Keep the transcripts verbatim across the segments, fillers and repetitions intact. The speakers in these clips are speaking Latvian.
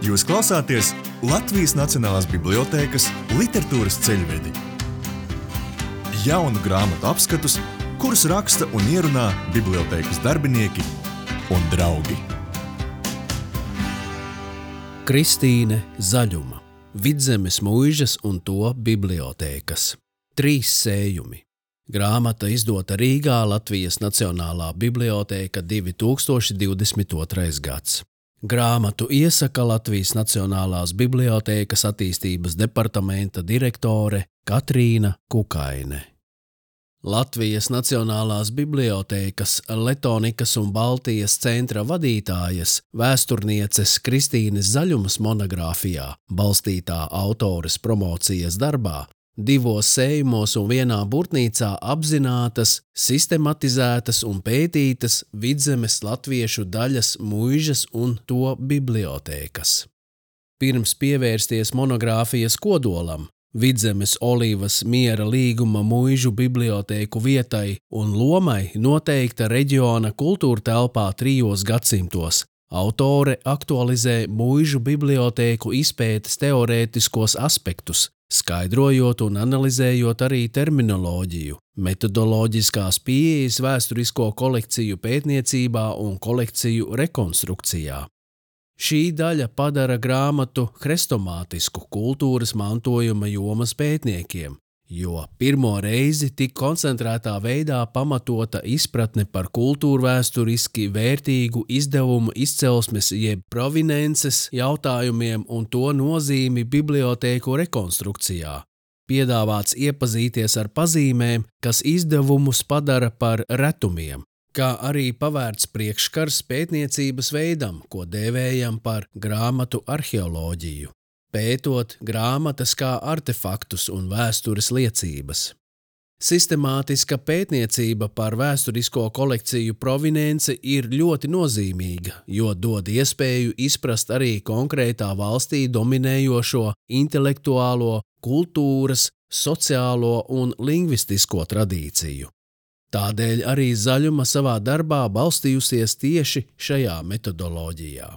Jūs klausāties Latvijas Nacionālās bibliotēkas literatūras ceļvedi. Jaunu grāmatu apskatus, kurus raksta un ierunā bibliotēkas darbinieki un draugi. Kristīne Zaļuma, Vidzemes muižas un to bibliotēkas. Trīs sējumi. Grāmata izdota Rīgā, Latvijas Nacionālā bibliotēka, divi tūkstoši divdesmit otrais gads. Grāmatu iesaka Latvijas Nacionālās bibliotēkas attīstības departamenta direktore Katrīna Kukaine. Latvijas Nacionālās bibliotēkas Letonikas un Baltijas centra vadītājas vēsturnieces Kristīnes Zaļumas monogrāfijā, balstītā autores promocijas darbā, divos sējumos un vienā burtnīcā apzinātas, sistematizētas un pētītas Vidzemes latviešu daļas muižas un to bibliotēkas. Pirms pievērsties monogrāfijas kodolam, Vidzemes Olīvas miera līguma muižu bibliotēku vietai un lomai noteikta reģiona kultūra telpā trijos gadsimtos, autore aktualizē muižu bibliotēku izpētes teorētiskos aspektus, skaidrojot un analizējot arī terminoloģiju, metodoloģiskās pieejas vēsturisko kolekciju pētniecībā un kolekciju rekonstrukcijā. Šī daļa padara grāmatu hrestomātisku kultūras mantojuma jomas pētniekiem, jo pirmo reizi tik koncentrētā veidā pamatota izpratne par kultūrvēsturiski vērtīgu izdevumu izcelsmes jeb provinences jautājumiem un to nozīmi bibliotēku rekonstrukcijā. Piedāvāts iepazīties ar pazīmēm, kas izdevumus padara par retumiem, kā arī pavērts priekškars pētniecības veidam, ko dēvējam par grāmatu arheoloģiju, pētot grāmatas kā artefaktus un vēstures liecības. Sistemātiska pētniecība par vēsturisko kolekciju provinence ir ļoti nozīmīga, jo dod iespēju izprast arī konkrētā valstī dominējošo intelektuālo, kultūras, sociālo un lingvistisko tradīciju. Tādēļ arī Zaļuma savā darbā balstījusies tieši šajā metodoloģijā.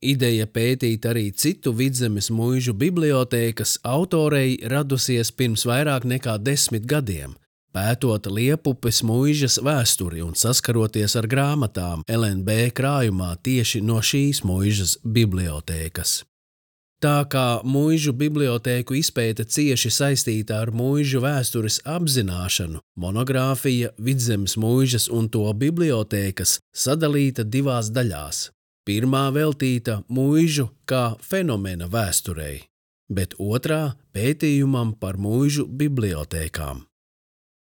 Ideja pētīt arī citu Vidzemes muižu bibliotēkas autorei radusies pirms vairāk nekā desmit gadiem, pētot Liepupes muižas vēsturi un saskaroties ar grāmatām L N B krājumā tieši no šīs muižas bibliotēkas. Tā kā muižu bibliotēku izpēte cieši saistīta ar muižu vēstures apzināšanu, monogrāfija Vidzemes muižas un to bibliotēkas sadalīta divās daļās. Pirmā veltīta muižu kā fenomena vēsturei, bet otrā pētījumam par muižu bibliotēkām.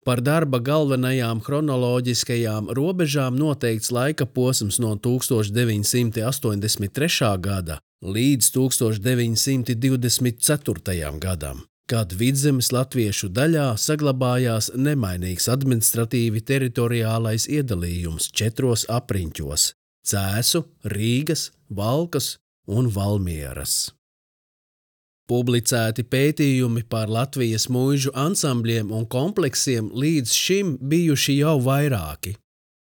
Par darba galvenajām chronoloģiskajām robežām noteikts laika posms no tūkstoš deviņsimt astoņdesmit trešā gada līdz tūkstoš deviņsimt divdesmit ceturtajam gadam, kad Vidzemes latviešu daļā saglabājās nemainīgs administratīvi teritoriālais iedalījums četros apriņķos – Cēsu, Rīgas, Valkas un Valmieras. Publicēti pētījumi par Latvijas muižu ansambļiem un kompleksiem līdz šim bijuši jau vairāki.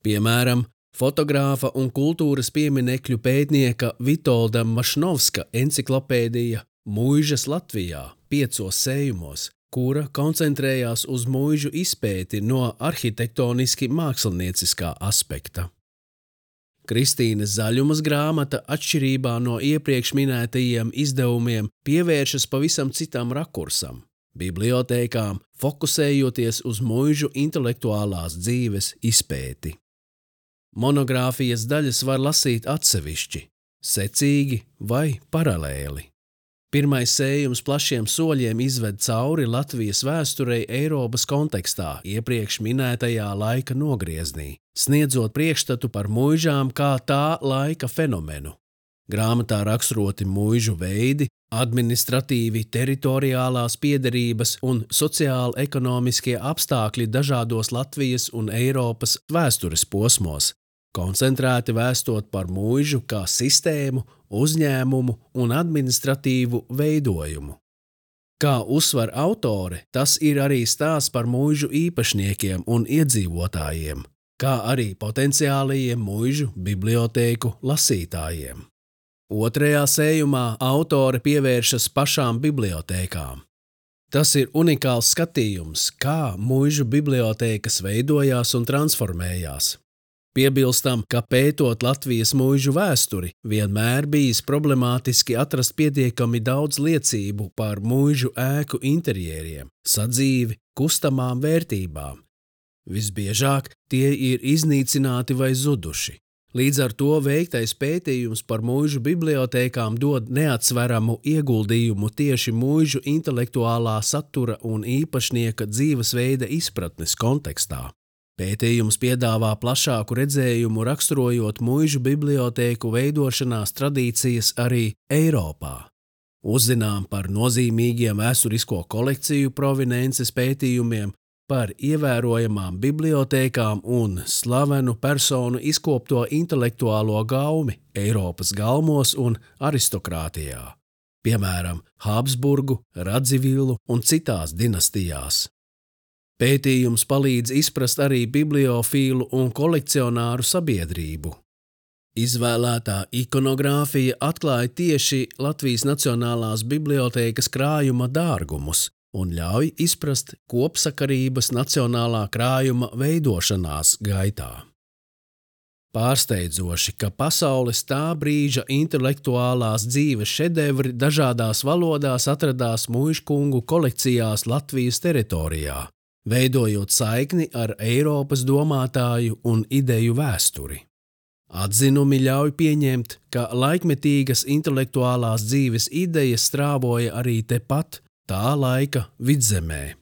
Piemēram, fotogrāfa un kultūras pieminekļu pētnieka Vitolda Mašnovska enciklopēdija Muižas Latvijā piecos sējumos, kura koncentrējās uz muižu izpēti no arhitektoniski mākslinieciskā aspekta. Kristīnes Zaļumas grāmata, atšķirībā no iepriekš minētajiem izdevumiem, pievēršas pavisam citam rakursam – bibliotēkām, fokusējoties uz muižu intelektuālās dzīves izpēti. Monogrāfijas daļas var lasīt atsevišķi, secīgi vai paralēli. Pirmais sējums plašiem soļiem izved cauri Latvijas vēsturei Eiropas kontekstā iepriekš minētajā laika nogrieznī, sniedzot priekšstatu par muižām kā tā laika fenomenu. Grāmatā raksturoti muižu veidi, administratīvi teritoriālās piederības un sociāli-ekonomiskie apstākļi dažādos Latvijas un Eiropas vēstures posmos, koncentrēti vēstot par muižu kā sistēmu, uzņēmumu un administratīvu veidojumu. Kā uzsver autore, tas ir arī stāsts par muižu īpašniekiem un iedzīvotājiem, kā arī potenciālajiem muižu bibliotēku lasītājiem. Otrajā sējumā autore pievēršas pašām bibliotēkām. Tas ir unikāls skatījums, kā muižu bibliotēkas veidojās un transformējās. Piebilstam, ka pētot Latvijas muižu vēsturi, vienmēr bijis problemātiski atrast pietiekami daudz liecību par muižu ēku interjeriem, sadzīvi, kustamām vērtībām. Visbiežāk tie ir iznīcināti vai zuduši. Līdz ar to veiktais pētījums par muižu bibliotēkām dod neatsveramu ieguldījumu tieši muižu intelektuālā satura un īpašnieka dzīvesveida izpratnes kontekstā. Pētījums piedāvā plašāku redzējumu raksturojot muižu bibliotēku veidošanās tradīcijas arī Eiropā. Uzzinām par nozīmīgiem vēsturisko kolekciju provenences pētījumiem, par ievērojamām bibliotēkām un slavenu personu izkopto intelektuālo gaumi Eiropas galmos un aristokrātijā, piemēram, Habsburgu, Radzivilu un citās dinastijās. Pētījums palīdz izprast arī bibliofīlu un kolekcionāru sabiedrību. Izvēlētā ikonogrāfija atklāja tieši Latvijas Nacionālās bibliotēkas krājuma dārgumus un ļauj izprast kopsakarības nacionālā krājuma veidošanās gaitā. Pārsteidzoši, ka pasaules tā brīža intelektuālās dzīves šedevri dažādās valodās atradās muižkungu kolekcijās Latvijas teritorijā, veidojot saikni ar Eiropas domātāju un ideju vēsturi. Atzinumi ļauj pieņemt, ka laikmetīgas intelektuālās dzīves idejas strāvoja arī tepat, tā laika vidzemē.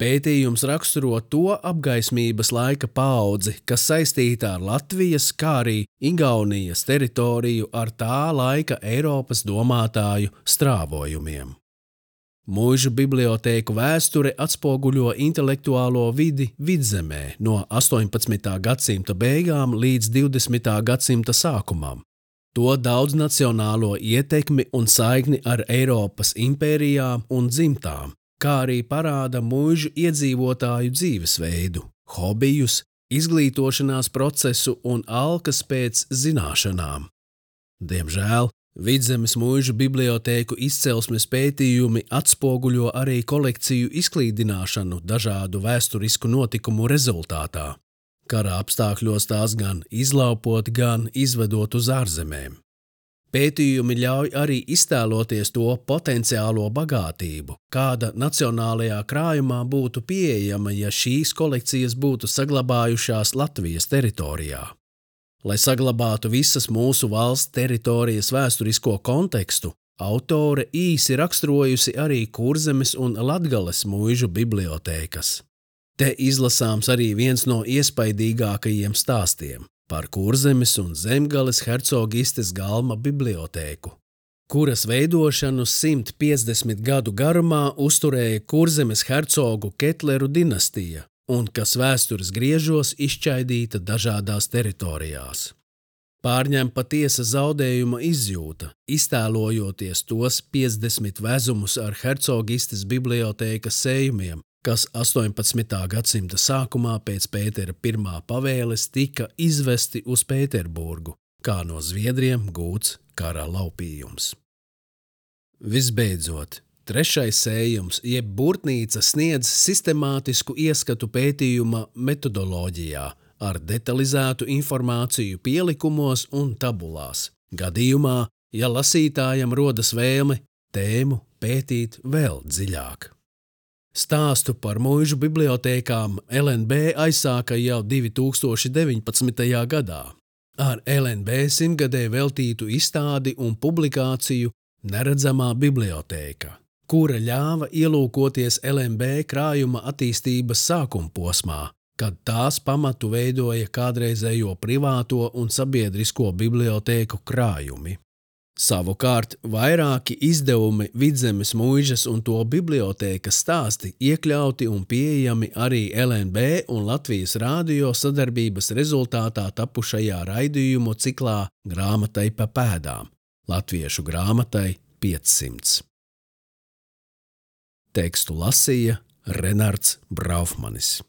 Pētījums raksturo to apgaismības laika paudzi, kas saistīta ar Latvijas, kā arī Igaunijas teritoriju ar tā laika Eiropas domātāju strāvojumiem. Muižu bibliotēku vēsture atspoguļo intelektuālo vidi vidzemē no astoņpadsmitā gadsimta beigām līdz divdesmitā gadsimta sākumam. To daudznacionālo ietekmi un saikni ar Eiropas impērijām un dzimtām, kā arī parāda muižu iedzīvotāju dzīvesveidu, hobijus, izglītošanās procesu un alkas pēc zināšanām. Diemžēl, Vidzemes muižu bibliotēku izcelsmes pētījumi atspoguļo arī kolekciju izklīdināšanu dažādu vēsturisku notikumu rezultātā. Kara apstākļos tās gan izlaupot, gan izvedot uz ārzemēm. Pētījumi ļauj arī iztēloties to potenciālo bagātību, kāda nacionālajā krājumā būtu pieejama, ja šīs kolekcijas būtu saglabājušās Latvijas teritorijā. Lai saglabātu visas mūsu valsts teritorijas vēsturisko kontekstu, autore īsi raksturojusi arī Kurzemes un Latgales muižu bibliotēkas. Te izlasāms arī viens no iespaidīgākajiem stāstiem par Kurzemes un Zemgales hercogistes Galma bibliotēku, kuras veidošanu simt piecdesmit gadu garumā uzturēja Kurzemes hercogu Ketleru dinastija un kas vēstures griežos izšķaidīta dažādās teritorijās. Pārņem patiesa zaudējuma izjūta, iztēlojoties tos piecdesmit vezumus ar hercogistes bibliotēkas sējumiem, kas astoņpadsmitā gadsimta sākumā pēc Pētera pirmā pavēles tika izvesti uz Pēterburgu, kā no Zviedriem gūts kara laupījums. Visbeidzot, trešais sējums, jeb burtnīca sniedz sistemātisku ieskatu pētījuma metodoloģijā ar detalizētu informāciju pielikumos un tabulās. Gadījumā, ja lasītājam rodas vēlme tēmu pētīt vēl dziļāk. Stāstu par muižu bibliotēkām L N B aizsāka jau divi tūkstoši deviņpadsmitajā gadā ar L N B simtgadē veltītu izstādi un publikāciju Neredzamā bibliotēka, kura ļāva ielūkoties L N B krājuma attīstības sākumposmā, kad tās pamatu veidoja kādreizējo privāto un sabiedrisko bibliotēku krājumi. Savukārt, vairāki izdevumi Vidzemes muižas un to bibliotēkas stāsti iekļauti un pieejami arī L N B un Latvijas rādio sadarbības rezultātā tapušajā raidījumu ciklā Grāmatai pa pēdām, latviešu grāmatai piecsimts. Tekstu lasīja Renards Braufmanis.